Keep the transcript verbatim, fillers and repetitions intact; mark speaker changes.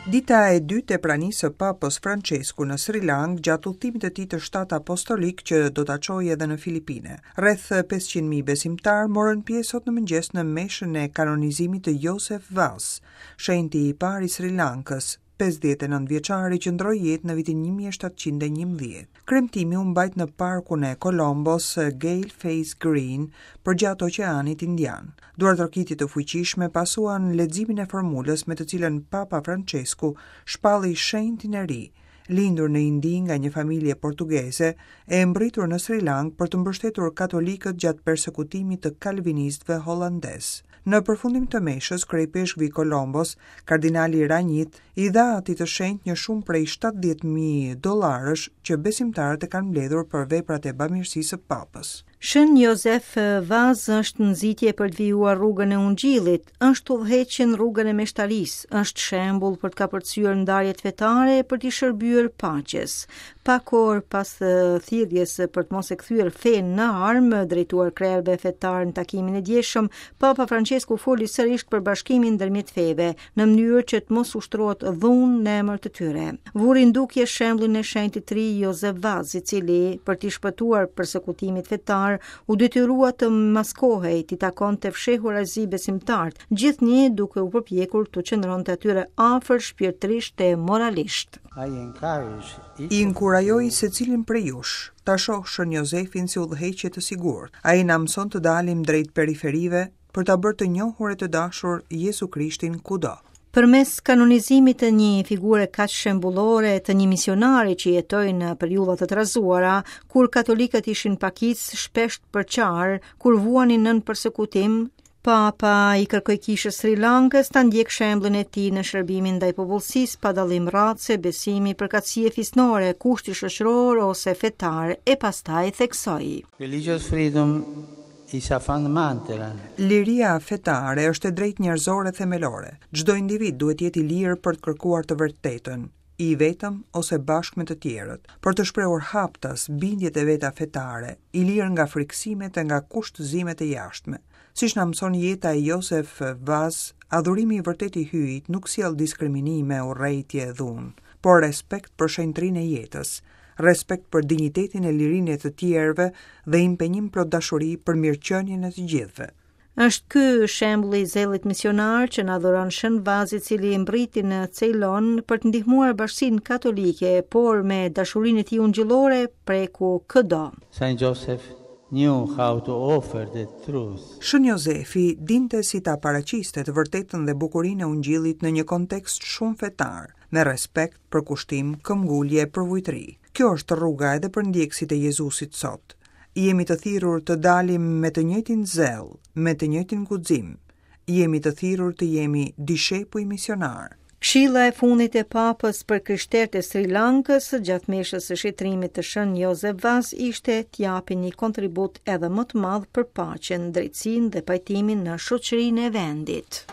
Speaker 1: Dita e dytë e pranisë së Papës Francesku në Sri Lank gjatë udhëtimit të tij të shtatë apostolik që do ta çojë edhe në Filipine. Rreth pesëqind mijë besimtar morën pjesë sot në mëngjes në meshën e kanonizimit të Josef Vaz, shenjti i parë i Sri Lankës, pesëdhjetë e nëntë vjeçari që ndroi jetë në vitin një mijë e shtatëqind e njëmbëdhjetë. Kremtimi u mbajt në parkun e Colombos, Galle Face Green, përgjatë Oqeanit Indian. Duartrokitje të fuqishme pasuan leximin e formulës me të cilën Papa Francesku shpalli shenjtin e ri, lindur në Indi nga një familje portugeze e mbërritur në Sri Lank për të mbështetur katolikët gjatë persekutimit të kalvinistëve hollandez. Në përfundim të meshës, kryepeshkvi i Kolombos, kardinali Ranjit, i dha atij të shenjtë një shumë prej shtatëdhjetë mijë dollarësh që besimtarët e kanë mbledhur për veprat e bamirësisë së papës.
Speaker 2: Shën Josef Vaz është nxitje për të vijuar rrugën e ungjillit, është udhëheqje në rrugën e meshtarisë, është shembull për të kapërcyer ndarjet fetare e për t'i shërbyer paqes. Pak orë pas thirrjes për të mos e kthyer fenë në armë, drejtuar krerëve fetar në takimin e djeshëm, Papa Francesku foli sërish për bashkimin ndërmjet feve, në mënyrë që të mos ushtrohet dhunë në emër të tyre. Vuri në dukje shembullin e shenjtit të ri Josef Vaz, i cili për t'i shpëtuar persekutimit fetar u detyrua të maskohej, t'i takonte fshehurazi besimtarët, gjithnjë duke u përpjekur të qëndronte atyre afër shpirtërisht e moralisht.
Speaker 1: I inkurajoj secilin prej jush ta shoh Shën Josefin si udhëheqje të sigurt. Ai na mëson të dalim drejt periferive për ta bërë të njohur e të dashur Jezu Krishtin kudo.
Speaker 2: Përmes kanonizimit të një figure kaq shembullore të një misionari që jetoi në periudha të trazuara, kur katolikët ishin pakicë, shpesh të përçarë, kur vuanin nën persekutim, Papa i kërkoi kishës Sri Lankës ta ndjek shembullin e tij në shërbimin ndaj popullsisë pa dallim race, besimi, përkatësie fisnore, kushti shoqëror ose fetar, e pastaj theksoi:
Speaker 3: Religious freedom is a fundamental.
Speaker 1: Liria fetare është e drejtë njerëzore themelore. Çdo individ duhet të jetë i lirë për të kërkuar të vërtetën, i vetëm ose bashkë me të tjerët, për të shprehur haptas bindjet e veta fetare, i lirë nga frikësimet e nga kushtëzimet e jashtme. Siç na mëson jeta e Josef Vaz, adhurimi i vërtetë i Hyjit nuk sjell diskriminime, urrejtje e dhunë, por respekt për shenjtrinë e jetës, respekt për dinjitetin e lirinë e të tjerëve dhe impenjim plot dashuri për mirëqenien e të gjithëve.
Speaker 2: Është ky shembulli i zellit misionar që na dhuron Shën Vaz, i cili mbriti në Ceylon për të ndihmuar bashkësinë katolike, por me dashurinë e tij ungjillore preku këdo.
Speaker 3: Saint Joseph knew how to offer the truth.
Speaker 1: Shën Jozefi dinte si ta paraqiste të vërtetën dhe bukurinë e ungjillit në një kontekst shumë fetar, me respekt, përkushtim, këmbgulje e përvujtëri. Kjo është rruga edhe për ndjekësit e Jezusit sot. Jemi të thirrur të dalim me të njëjtin zell, me të njëjtin guxim. Jemi të thirrur të jemi dishepuj misionar.
Speaker 2: Këshilla e fundit e Papës për krishterët e Sri Lankës gjatë meshës së shenjtërimit të Shën Josef Vaz ishte të japin një kontribut edhe më të madh për paqen, drejtësinë dhe pajtimin në shoqërinë e vendit.